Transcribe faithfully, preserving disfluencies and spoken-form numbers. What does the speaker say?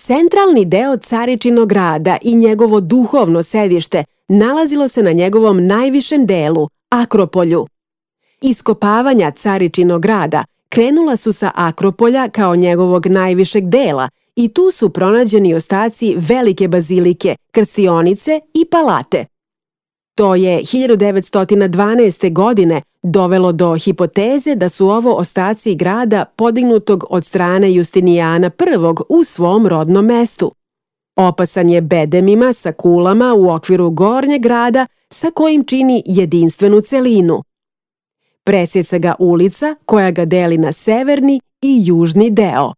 Centralni deo Caričinog grada i njegovo duhovno sedište nalazilo se na njegovom najvišem delu, Akropolju. Iskopavanja Caričinog grada krenula su sa Akropolja kao njegovog najvišeg dela i tu su pronađeni ostaci velike bazilike, krstionice i palate. To je hiljadu devetsto dvanaeste. godine dovelo do hipoteze da su ovo ostaci grada podignutog od strane Justinijana prvog u svom rodnom mestu. Opasan je bedemima sa kulama u okviru gornjeg grada sa kojim čini jedinstvenu celinu. Presjeca ga ulica koja ga deli na severni i južni deo.